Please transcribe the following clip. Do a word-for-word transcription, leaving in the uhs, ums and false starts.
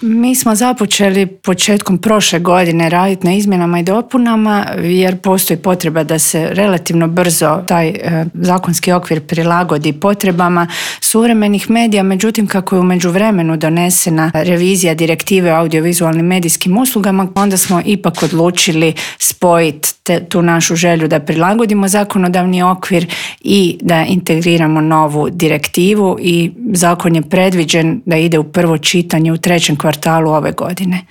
Mi smo započeli početkom prošle godine raditi na izmjenama i dopunama jer postoji potreba da se relativno brzo taj e, zakonski okvir prilagodi potrebama suvremenih medija, međutim kako je u međuvremenu donesena revizija direktive o audiovizualnim medijskim uslugama, onda smo ipak odlučili spojiti te, tu našu želju da prilagodimo zakonodavni okvir i da integriramo novu direktivu i zakon je predviđen da ide u prvo čitanje u trećem kvartalu ove godine.